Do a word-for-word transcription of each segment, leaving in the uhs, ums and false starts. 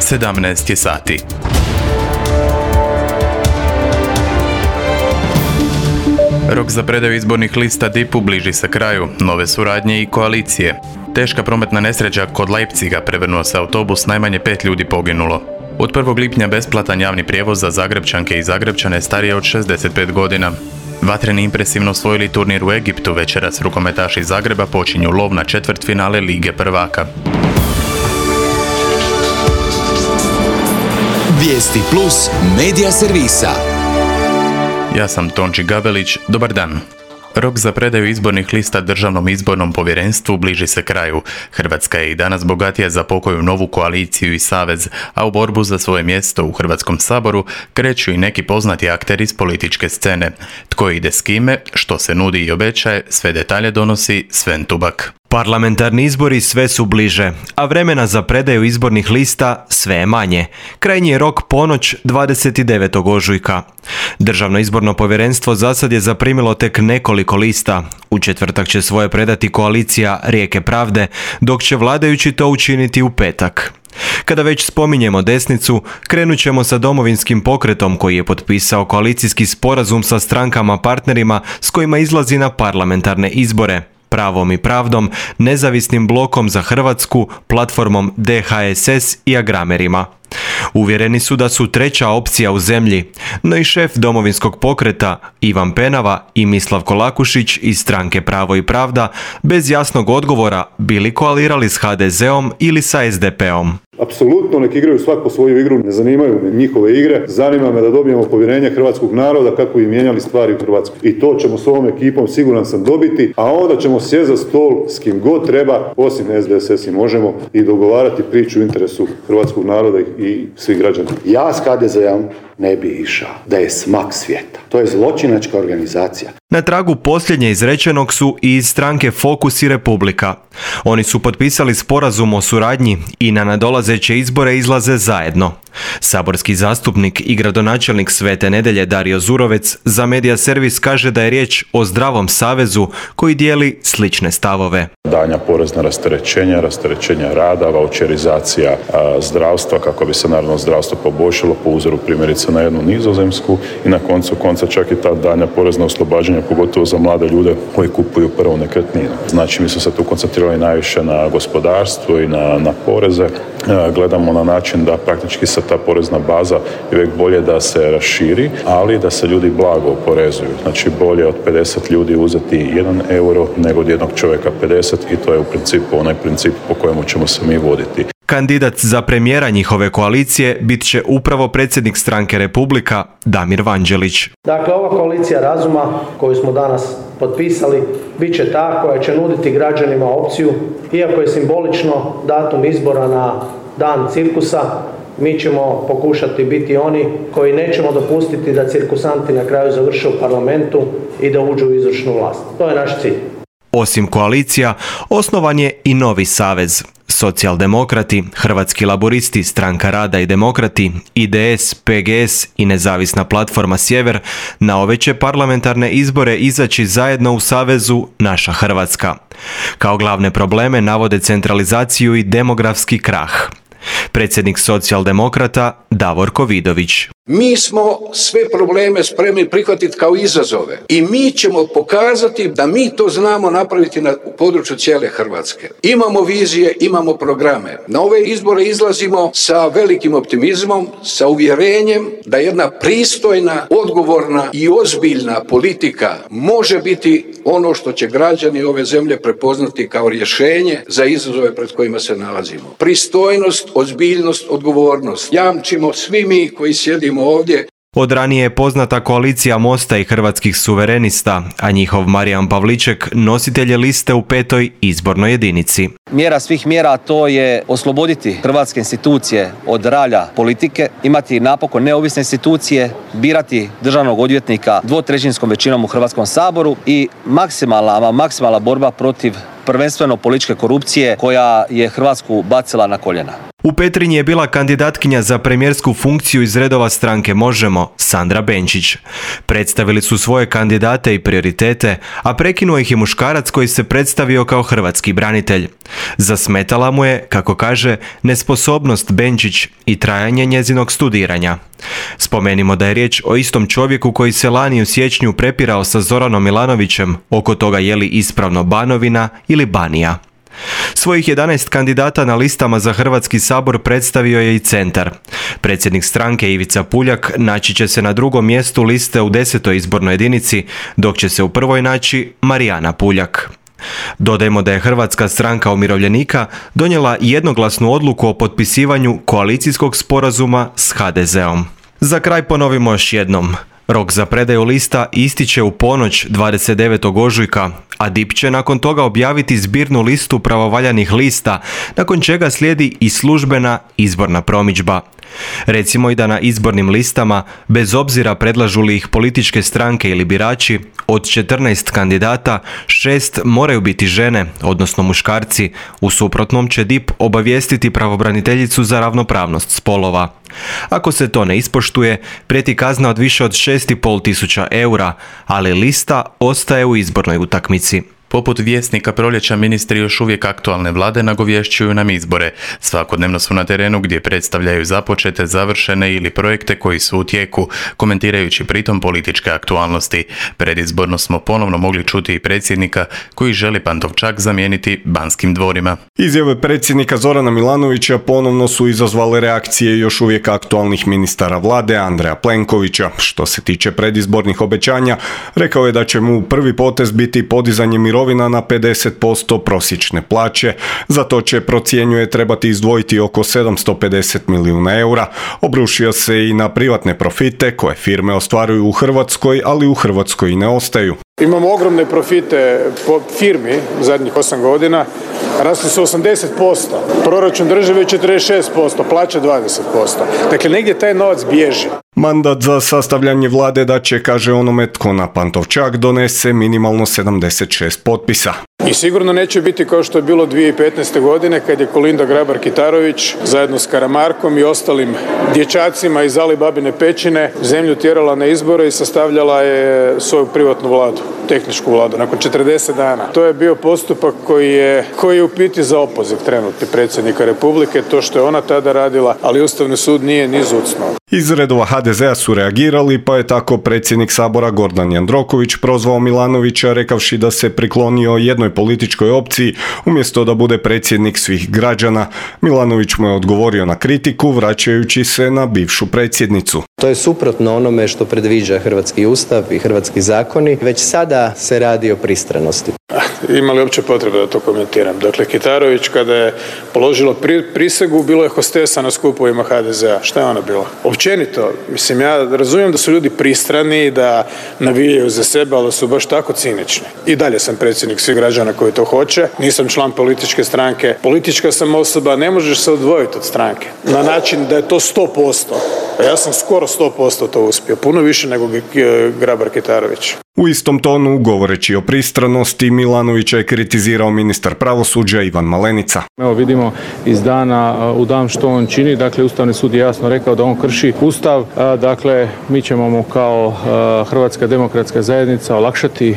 sedamnaest je sati. Rok za predaju izbornih lista D I P-u bliži se kraju, nove suradnje i koalicije. Teška prometna nesreća kod Leipziga, prevrnuo se autobus, najmanje pet ljudi poginulo. Od prvog lipnja besplatan javni prijevoz za Zagrepčanke i Zagrepčane starije od šezdeset pet godina. Vatreni impresivno osvojili turnir u Egiptu, večeras rukometaši Zagreba počinju lov na četvrtfinale Lige prvaka. Vijesti plus medija servisa. Ja sam Tonči Gabelić, dobar dan. Rok za predaju izbornih lista Državnom izbornom povjerenstvu bliži se kraju. Hrvatska je i danas bogatija za pokoju novu koaliciju i savez, a u borbu za svoje mjesto u Hrvatskom saboru kreću i neki poznati akteri iz političke scene. Tko ide s kime, što se nudi i obećaje, sve detalje donosi Sven Tubak. Parlamentarni izbori sve su bliže, a vremena za predaju izbornih lista sve je manje. Krajnji je rok ponoć dvadeset devetog ožujka. Državno izborno povjerenstvo zasad je zaprimilo tek nekoliko lista. U četvrtak će svoje predati koalicija Rijeke pravde, dok će vladajući to učiniti u petak. Kada već spominjemo desnicu, krenut ćemo sa Domovinskim pokretom koji je potpisao koalicijski sporazum sa strankama partnerima s kojima izlazi na parlamentarne izbore. Pravom i pravdom, nezavisnim blokom za Hrvatsku, platformom D H S S i agramerima. Uvjereni su da su treća opcija u zemlji, no i šef Domovinskog pokreta Ivan Penava i Mislav Kolakušić iz stranke Pravo i pravda bez jasnog odgovora bili koalirali s H D Z-om ili sa S D P-om. Apsolutno nek igraju svako svoju igru, ne zanimaju me njihove igre, zanima me da dobijemo povjerenje hrvatskog naroda kako bi mijenjali stvari u Hrvatskoj. I to ćemo s ovom ekipom siguran sam dobiti, a onda ćemo sjesti za stol s kim god treba, osim S D S S i možemo, i dogovarati priču u interesu hrvatskog naroda i svih građana. Ja s H D Z-om ne bi išao, da je smak svijeta. To je zločinačka organizacija. Na tragu posljednje izrečenog su i iz stranke Fokus i Republika. Oni su potpisali sporazum o suradnji i na nadolazeće izbore izlaze zajedno. Saborski zastupnik i gradonačelnik Svete Nedelje Dario Zurovec za Medija servis kaže da je riječ o zdravom savezu koji dijeli slične stavove. Danja porezna rasterećenja, rasterećenja rada, vaučerizacija a, zdravstva kako bi se naravno zdravstvo poboljšalo po uzoru primjerice na jednu Nizozemsku i na koncu konca čak i ta danja porezna oslobađanja pogotovo za mlade ljude koji kupuju prvu nekretninu. Znači mi smo se tu koncentrirali najviše na gospodarstvo i na, na poreze. A, gledamo na način da praktički se ta porezna baza je uvijek bolje da se raširi, ali da se ljudi blago oporezuju. Znači bolje od pedeset ljudi uzeti jedan euro nego od jednog čovjeka pedeset i to je u principu onaj princip po kojemu ćemo se mi voditi. Kandidat za premijera njihove koalicije bit će upravo predsjednik stranke Republika Damir Vanđelić. Dakle, ova koalicija razuma koju smo danas potpisali bit će ta koja će nuditi građanima opciju, iako je simbolično datum izbora na dan cirkusa, mi ćemo pokušati biti oni koji nećemo dopustiti da cirkusanti na kraju završe u parlamentu i da uđu u izvršnu vlast. To je naš cilj. Osim koalicija, osnovan je i novi savez. Socijaldemokrati, Hrvatski laburisti, Stranka rada i demokrati, I D S, P G S i nezavisna platforma Sjever na ove će parlamentarne izbore izaći zajedno u savezu Naša Hrvatska. Kao glavne probleme navode centralizaciju i demografski krah. Predsjednik socijaldemokrata Davorko Vidović. Mi smo sve probleme spremni prihvatiti kao izazove i mi ćemo pokazati da mi to znamo napraviti na području cijele Hrvatske. Imamo vizije, imamo programe. Na ove izbore izlazimo sa velikim optimizmom, sa uvjerenjem da jedna pristojna, odgovorna i ozbiljna politika može biti ono što će građani ove zemlje prepoznati kao rješenje za izazove pred kojima se nalazimo. Pristojnost, ozbiljnost, odgovornost jamčimo svi mi koji sjedimo ovdje. Od ranije je poznata koalicija Mosta i Hrvatskih suverenista, a njihov Marijan Pavliček nositelj je liste u petoj izbornoj jedinici. Mjera svih mjera to je osloboditi hrvatske institucije od ralja politike, imati napokon neovisne institucije, birati državnog odvjetnika dvotrećinskom većinom u Hrvatskom saboru i maksimalna, maksimalna borba protiv prvenstveno političke korupcije koja je Hrvatsku bacila na koljena. U Petrinji je bila kandidatkinja za premijersku funkciju iz redova stranke Možemo, Sandra Benčić. Predstavili su svoje kandidate i prioritete, a prekinuo ih je muškarac koji se predstavio kao hrvatski branitelj. Zasmetala mu je, kako kaže, nesposobnost Benčić i trajanje njezinog studiranja. Spomenimo da je riječ o istom čovjeku koji se lani u siječnju prepirao sa Zoranom Milanovićem oko toga je li ispravno Banovina ili Banija. Svojih jedanaest kandidata na listama za Hrvatski sabor predstavio je i Centar. Predsjednik stranke Ivica Puljak naći će se na drugom mjestu liste u desetoj izbornoj jedinici, dok će se u prvoj naći Marijana Puljak. Dodajmo da je Hrvatska stranka umirovljenika donijela jednoglasnu odluku o potpisivanju koalicijskog sporazuma s ha de zeom. Za kraj ponovimo još jednom. Rok za predaju lista ističe u ponoć dvadeset devetog ožujka, a D I P će nakon toga objaviti zbirnu listu pravovaljanih lista, nakon čega slijedi i službena izborna promidžba. Recimo i da na izbornim listama, bez obzira predlažu li ih političke stranke ili birači, od četrnaest kandidata, šest moraju biti žene, odnosno muškarci, u suprotnom će D I P obavijestiti pravobraniteljicu za ravnopravnost spolova. Ako se to ne ispoštuje, prijeti kazna od više od šest i pol tisuća eura, ali lista ostaje u izbornoj utakmici. Poput Vjesnika proljeća, ministri još uvijek aktualne vlade nagovješćuju nam izbore. Svakodnevno su na terenu gdje predstavljaju započete, završene ili projekte koji su u tijeku, komentirajući pritom političke aktualnosti. Predizborno smo ponovno mogli čuti i predsjednika koji želi Pantovčak zamijeniti Banskim dvorima. Izjave predsjednika Zorana Milanovića ponovno su izazvale reakcije još uvijek aktualnih ministara vlade Andreja Plenkovića. Što se tiče predizbornih obećanja, rekao je da će mu prvi potez biti podizanje mirovina na pedeset posto prosječne plaće. Za to će, procjenjuje, trebati izdvojiti oko sedamsto pedeset milijuna eura. Obrušio se i na privatne profite koje firme ostvaruju u Hrvatskoj, ali u Hrvatskoj i ne ostaju. Imamo ogromne profite po firmi zadnjih osam godina, rasli su osamdeset posto, proračun države četrdeset šest posto, plaća dvadeset posto. Dakle, negdje taj novac bježi. Mandat za sastavljanje vlade da će, kaže onome tko na Pantovčak donese, minimalno sedamdeset šest potpisa. I sigurno neće biti kao što je bilo dvije tisuće petnaeste. godine kad je Kolinda Grabar-Kitarović zajedno s Karamarkom i ostalim dječacima iz Alibabine pećine zemlju tjerala na izbore i sastavljala je svoju privatnu vladu, tehničku vladu, nakon četrdeset dana. To je bio postupak koji je, koji je u biti za opoziv trenutni predsjednika Republike, to što je ona tada radila, ali Ustavni sud nije ni zucnuo. Iz redova ha de zea su reagirali, pa je tako predsjednik Sabora Gordan Jandroković prozvao Milanovića rekavši da se priklonio jednoj političkoj opciji umjesto da bude predsjednik svih građana. Milanović mu je odgovorio na kritiku vraćajući se na bivšu predsjednicu. To je suprotno onome što predviđa hrvatski ustav i hrvatski zakoni. Već sada se radi o pristranosti. Ima li uopće potrebe da to komentiram? Dakle, Kitarović kada je položila pri, prisegu, bilo je hostesa na skupovima ha de zea. Šta je ona bila? Općenito, mislim, ja razumijem da su ljudi pristrani, da navijaju za sebe, ali su baš tako cinični. I dalje sam predsjednik svih građana koji to hoće. Nisam član političke stranke. Politička sam osoba, ne možeš se odvojiti od stranke. Na način da je to sto posto. A ja sam skoro sto posto to uspio. Puno više nego Grabar-Kitarović. U istom tonu, govoreći o pristranosti, Milanovića je kritizirao ministar pravosuđa Ivan Malenica. Evo vidimo iz dana u dan što on čini, dakle Ustavni sud je jasno rekao da on krši Ustav, dakle mi ćemo mu kao Hrvatska demokratska zajednica olakšati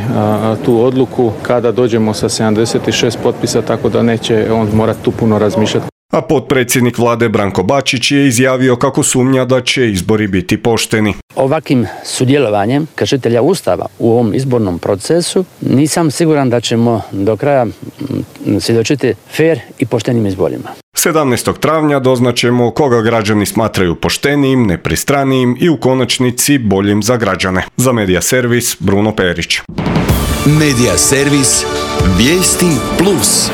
tu odluku kada dođemo sa sedamdeset šest potpisa, tako da neće on morati tu puno razmišljati. A potpredsjednik vlade Branko Bačić je izjavio kako sumnja da će izbori biti pošteni. Ovakvim sudjelovanjem kršitelja Ustava u ovom izbornom procesu nisam siguran da ćemo do kraja svjedočiti fer i poštenim izborima. sedamnaestog travnja doznaćemo koga građani smatraju poštenijim, nepristranijim i u konačnici boljim za građane. Za Medija Servis, Bruno Perić. Medija Servis, Vijesti plus.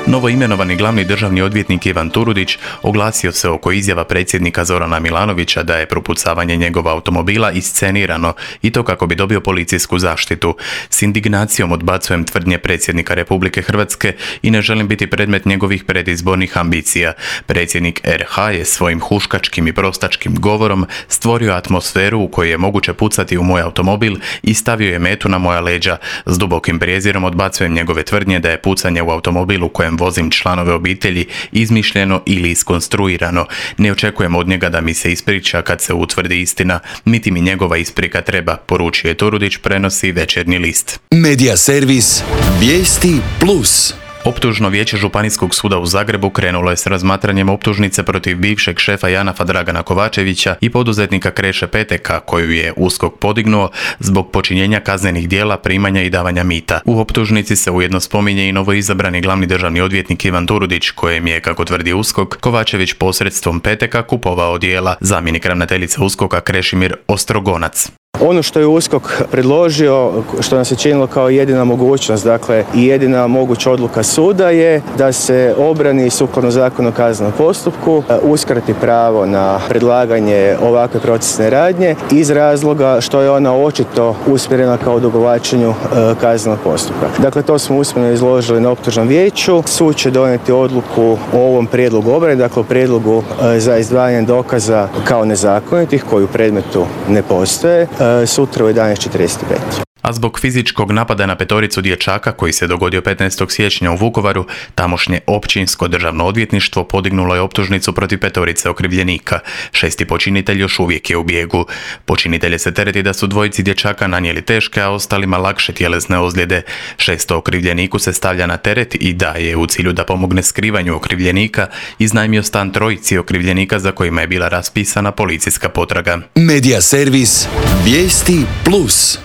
Novo imenovani glavni državni odvjetnik Ivan Turudić oglasio se oko izjava predsjednika Zorana Milanovića da je propucavanje njegova automobila iscenirano i to kako bi dobio policijsku zaštitu. S indignacijom odbacujem tvrdnje predsjednika Republike Hrvatske i ne želim biti predmet njegovih predizbornih ambicija. Predsjednik R H je svojim huškačkim i prostačkim govorom stvorio atmosferu u kojoj je moguće pucati u moj automobil i stavio je metu na moja leđa. S dubokim prijezirom odbacujem njegove tvrdnje da je pucanje u automobilu u kojem vozim članove obitelji izmišljeno ili iskonstruirano. Ne očekujem od njega da mi se ispriča kad se utvrdi istina, niti mi njegova isprika treba, poručuje Turudić, prenosi Večernji list. Medija servis Vijesti plus. Optužno vijeće Županijskog suda u Zagrebu krenulo je s razmatranjem optužnice protiv bivšeg šefa Janafa Dragana Kovačevića i poduzetnika Kreše Peteka, koju je USKOK podignuo zbog počinjenja kaznenih djela, primanja i davanja mita. U optužnici se ujedno spominje i novoizabrani glavni državni odvjetnik Ivan Turudić, kojem je, kako tvrdi USKOK, Kovačević posredstvom Peteka kupovao djela. Zamjenik ravnateljice USKOK-a Krešimir Ostrogonac. Ono što je USKOK predložio, što nam se činilo kao jedina mogućnost, dakle i jedina moguća odluka suda je da se obrani sukladno Zakonu o kaznenom postupku uskrati pravo na predlaganje ovakve procesne radnje iz razloga što je ona očito usmjerena kao odugovlačenju kaznenog postupka. Dakle, to smo usmeno izložili na optužnom vijeću. Sud će donijeti odluku o ovom prijedlogu obrane, dakle o prijedlogu za izdvajanje dokaza kao nezakonitih koji u predmetu ne postoje, sutra u jedanaest četrdeset pet. A zbog fizičkog napada na petoricu dječaka koji se dogodio petnaestog siječnja u Vukovaru, tamošnje općinsko državno odvjetništvo podignulo je optužnicu protiv petorice okrivljenika. Šesti počinitelj još uvijek je u bijegu. Počinitelje se tereti da su dvojici dječaka nanijeli teške, a ostalima lakše tjelesne ozljede. Šesto okrivljeniku se stavlja na teret i da je u cilju da pomogne skrivanju okrivljenika iznajmio stan trojici okrivljenika za kojima je bila raspisana policijska potraga. Medija servis Vijesti plus.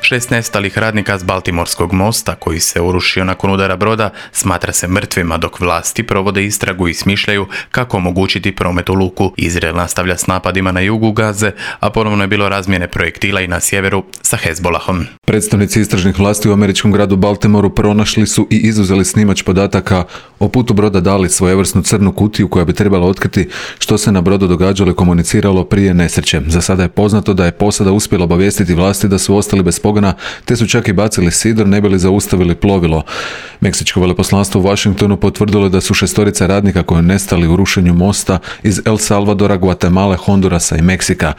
Šest nestalih radnika s Baltimorskog mosta, koji se urušio nakon udara broda, smatra se mrtvima, dok vlasti provode istragu i smišljaju kako omogućiti promet u luku. Izrael nastavlja s napadima na jugu Gaze, a ponovno je bilo razmjene projektila i na sjeveru sa Hezbolahom. Predstavnici istražnih vlasti u američkom gradu Baltimoru pronašli su i izuzeli snimač podataka o putu broda Dali, svojevrsnu crnu kutiju koja bi trebala otkriti što se na brodu događalo i komuniciralo prije nesreće. Za sada je poznato da je posada uspjela obavijestiti vlasti da su ostali bez pogona, te su čak i bacili sidor ne bi li zaustavili plovilo. Meksičko veleposlanstvo u Washingtonu potvrdilo da su šestorica radnika koji nestali u rušenju mosta iz El Salvadora, Guatemala, Hondurasa i Meksika.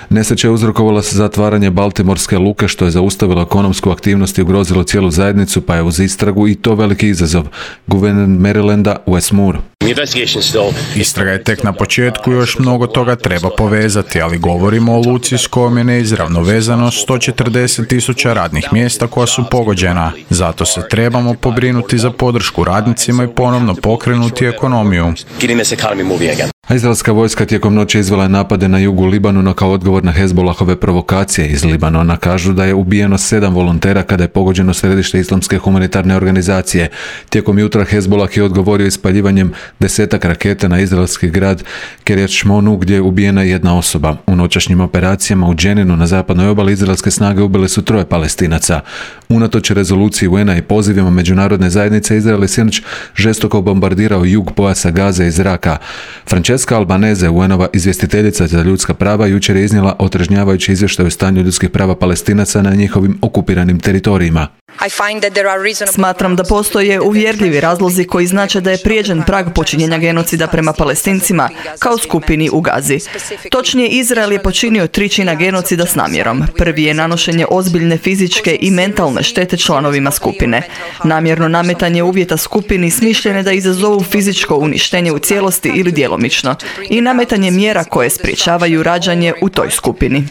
Nesreća je uzrokovala se zatvaranje Baltimorske luke, što je zaustavilo ekonomsku aktivnost i ugrozilo cijelu zajednicu, pa je uz istragu i to veliki izazov. Guverner Marylanda Wes Moore. Istraga je tek na početku, još mnogo toga treba povezati, ali govorimo o luci s kojom je neizravno vezano sto četrdeset tisuća radnih mjesta koja su pogođena. Zato se trebamo pobrinuti za podršku radnicima i ponovno pokrenuti ekonomiju. A izraelska vojska tijekom noći izvela je napade na jugu Libanona kao odgovor na Hezbolahove provokacije. Iz Libanona kažu da je ubijeno sedam volontera kada je pogođeno središte islamske humanitarne organizacije. Tijekom jutra Hezbolah je odgovorio ispaljivanjem desetak raketa na izraelski grad Kiryat Shmonu gdje je ubijena jedna osoba. U noćašnjim operacijama u Dženinu na zapadnoj obali izraelske snage ubile su troje Palestinaca. Unatoč rezoluciji U N A i pozivima međunarodne zajednice, Izrael je sinoć žestoko bombardirao jug pojasa Gaze iz zraka. Francesca Albanese, U N-ova izvjestiteljica za ljudska prava, jučer je iznijela otrežnjavajući izvještaj o stanju ljudskih prava Palestinaca na njihovim okupiranim teritorijima. Smatram da postoje uvjerljivi razlozi koji znače da je prijeđen prag počinjenja genocida prema Palestincima kao skupini u Gazi. Točnije, Izrael je počinio tri čina genocida s namjerom. Prvi je nanošenje ozbiljne fizičke i mentalne štete članovima skupine. Namjerno nametanje uvjeta skupini smišljene da izazovu fizičko uništenje u cijelosti ili djelomično i nametanje mjera koje sprječavaju rađanje u toj skupini.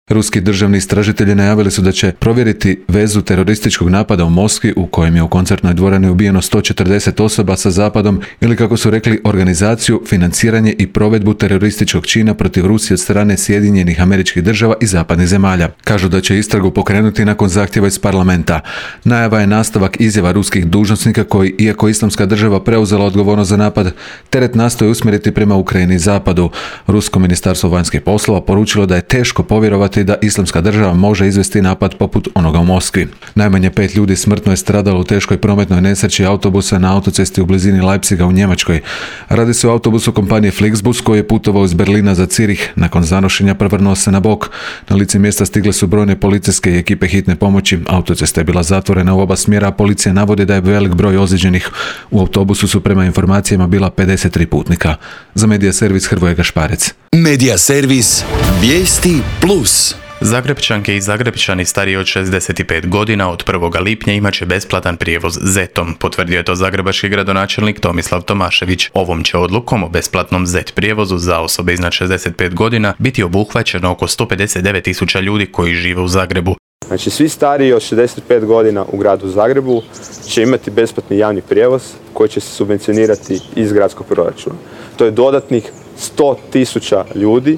Ruski državni istražitelji najavili su da će provjeriti vezu terorističkog napada u Moskvi u kojem je u koncertnoj dvorani ubijeno sto četrdeset osoba sa Zapadom, ili kako su rekli, organizaciju, financiranje i provedbu terorističkog čina protiv Rusije od strane Sjedinjenih Američkih Država i zapadnih zemalja. Kažu da će istragu pokrenuti nakon zahtjeva iz parlamenta. Najava je nastavak izjava ruskih dužnosnika koji, iako Islamska država preuzela odgovornost za napad, teret nastoje usmjeriti prema Ukrajini i Zapadu. Rusko ministarstvo vanjskih poslova poručilo da je teško povjerovati sumnjati da Islamska država može izvesti napad poput onoga u Moskvi. Najmanje pet ljudi smrtno je stradalo u teškoj prometnoj nesreći autobusa na autocesti u blizini Leipziga u Njemačkoj. Radi se o autobusu kompanije Flixbus koji je putovao iz Berlina za Cirih. Nakon zanošenja prevrnuo se na bok. Na lice mjesta stigle su brojne policijske i ekipe hitne pomoći. Autocesta je bila zatvorena u oba smjera, a policija navodi da je velik broj ozlijeđenih. U autobusu su prema informacijama bila pedeset tri putnika. Za Medija servis Hrvoje Gašparec. Medija servis Vijesti plus. Zagrepčanke i Zagrepčani stariji od šezdeset pet godina od prvog lipnja imat će besplatan prijevoz zetom, potvrdio je to zagrebački gradonačelnik Tomislav Tomašević. Ovom će odlukom o besplatnom zet prijevozu za osobe iznad šezdeset pet godina biti obuhvaćeno oko sto pedeset devet tisuća ljudi koji žive u Zagrebu. Znači svi stariji od šezdeset pet godina u gradu Zagrebu će imati besplatni javni prijevoz koji će se subvencionirati iz gradskog proračuna. To je dodatnih sto tisuća ljudi,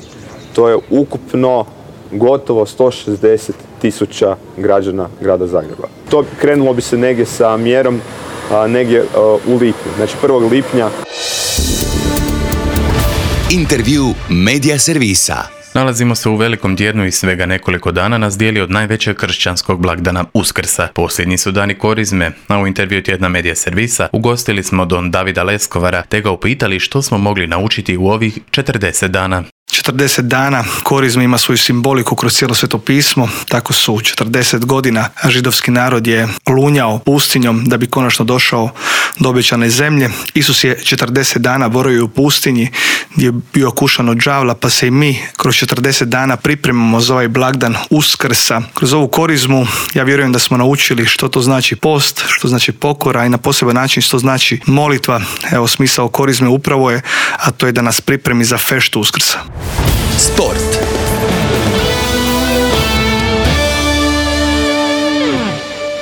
to je ukupno gotovo sto šezdeset tisuća građana grada Zagreba. To krenulo bi se negdje sa mjerom a, negdje a, u lipnju, znači prvog lipnja. Intervju Medija servisa. Nalazimo se u velikom tjednu i svega nekoliko dana nas dijeli od najvećeg kršćanskog blagdana Uskrsa. Posljednji su dani korizme, a u intervju tjedna Medija servisa ugostili smo don Davida Leskovara te ga upitali što smo mogli naučiti u ovih četrdeset dana. četrdeset dana korizme ima svoju simboliku kroz cijelo Sveto pismo, tako su četrdeset godina židovski narod je lunjao pustinjom da bi konačno došao do obećane zemlje. Isus je četrdeset dana boravio u pustinji gdje je bio kušan od đavla, pa se i mi kroz četrdeset dana pripremamo za ovaj blagdan Uskrsa. Kroz ovu korizmu ja vjerujem da smo naučili što to znači post, što znači pokora i na poseban način što znači molitva. Evo smisao korizme upravo je, a to je da nas pripremi za feštu Uskrsa. Sport.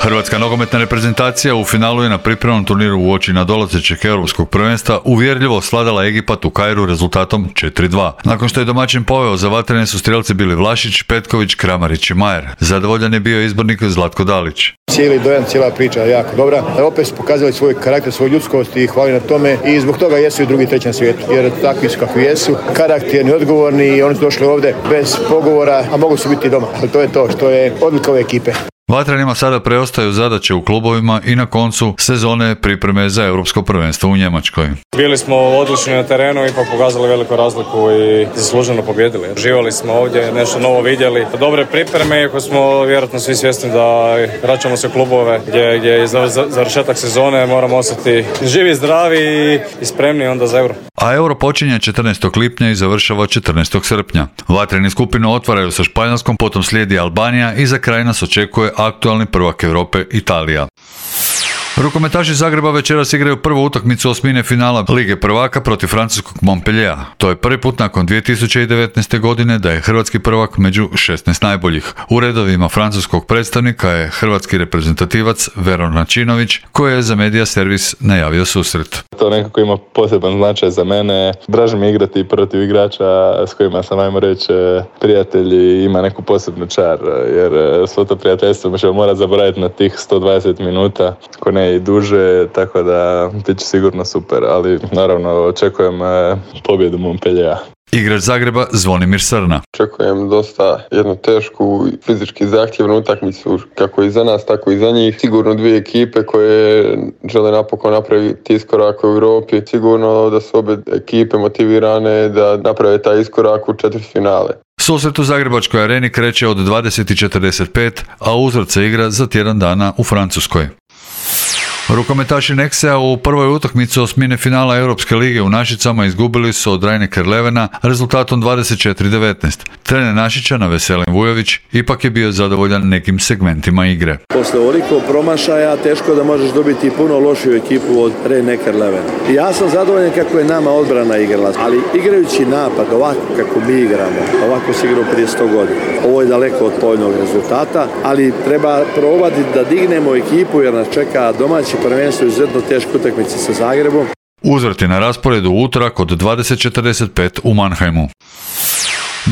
Hrvatska nogometna reprezentacija u finalu je na pripremnom turniru uoči nadolazećeg europskog prvenstva uvjerljivo sladala Egipat u Kairu rezultatom četiri dva. Nakon što je domaćin poveo, za vatrene su strijelci bili Vlašić, Petković, Kramarić i Majer. Zadovoljan je bio izbornik Zlatko Dalić. Cijeli dojam, cijela priča je jako dobra. Opet su pokazali svoj karakter, svoju ljudskost i hvali na tome i zbog toga jesu i drugi, treći na svijetu. Jer takvi su kakvi jesu, karakterni, odgovorni i oni su došli ovdje bez pogovora, a mogu su biti doma. Ali to je to što je odlika ove ekipe. Vatrenima sada preostaju zadaće u klubovima i na koncu sezone pripreme za europsko prvenstvo u Njemačkoj. Bili smo odlični na terenu i pa pokazali veliku razliku i zasluženo pobjedili. Živali smo ovdje, nešto novo vidjeli. Dobre pripreme, iako smo vjerojatno svi svjesni da vraćamo se u klubove gdje, gdje je završetak sezone, moramo ostati živi, zdravi i spremni onda za euro. A euro počinje četrnaestog lipnja i završava četrnaestog srpnja. Vatreni skupinu otvaraju sa Španjolskom, potom slijedi Albanija i za kraj nas očekuje aktualni prvak Europe Italija. Rukometaši Zagreba večeras igraju prvu utakmicu osmine finala Lige prvaka protiv francuskog Montpelliera. To je prvi put nakon dvije tisuće devetnaeste. godine da je hrvatski prvak među šesnaest najboljih. U redovima francuskog predstavnika je hrvatski reprezentativac Veron Načinović, koji je za Medija servis najavio susret. To nekako ima poseban značaj za mene. Draže mi igrati protiv igrača s kojima sam, ajmo reći, prijatelji, ima neku posebnu čar, jer svo to prijateljstvo ćemo morati zaboraviti na tih sto dvadeset minuta, ako ne i duže, tako da bit će sigurno super, ali naravno očekujem pobjedu Montpelliera. Igrač Zagreba Zvonimir Srna. Očekujem dosta jednu tešku fizički zahtjevnu utakmicu, kako i za nas, tako i za njih. Sigurno dvije ekipe koje žele napokon napraviti iskorak u Europi. Sigurno da su obje ekipe motivirane da naprave taj iskorak u četvrtfinale. Susret u Zagrebačkoj areni kreće od dvadeset četrdeset pet, a uzvrat se igra za tjedan dana u Francuskoj. Rukometaši Nexea u prvoj utakmici osmine finala Europske lige u Našicama izgubili su od Rhein-Neckar-Levena rezultatom dvadeset četiri devetnaest. Trener Našičana Veselin Vujović ipak je bio zadovoljan nekim segmentima igre. Posle ovoliko promašaja teško da možeš dobiti puno lošiju ekipu od Rhein-Neckar-Levena. Ja sam zadovoljan kako je nama odbrana igrala, ali igrajući napad ovako kako mi igramo, ovako se igrao prije sto godina. Ovo je daleko od povoljnog rezultata, ali treba probati da dignemo ekipu jer nas čeka domaći prvenstvo izuzetno teške utakmice sa Zagrebom. Uzvrat je na rasporedu utorak od dvadeset četrdeset pet u Mannheimu.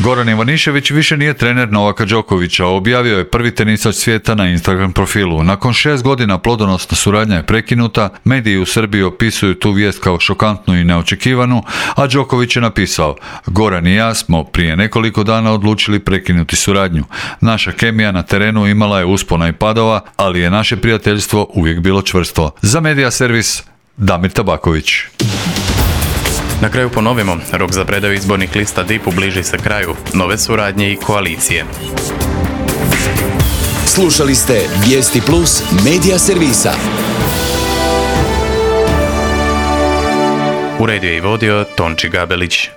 Goran Ivanišević više nije trener Novaka Đokovića, objavio je prvi tenisač svijeta na Instagram profilu. Nakon šest godina plodonosna suradnja je prekinuta, mediji u Srbiji opisuju tu vijest kao šokantnu i neočekivanu, a Đoković je napisao: Goran i ja smo prije nekoliko dana odlučili prekinuti suradnju. Naša kemija na terenu imala je uspona i padova, ali je naše prijateljstvo uvijek bilo čvrsto. Za Media Servis, Damir Tabaković. Na kraju ponovimo, rok za predaju izbornih lista D I P-u bliži se kraju, nove suradnje i koalicije. Slušali ste Vijesti Plus Media Servisa. Uredio je i vodio Tonči Gabelić.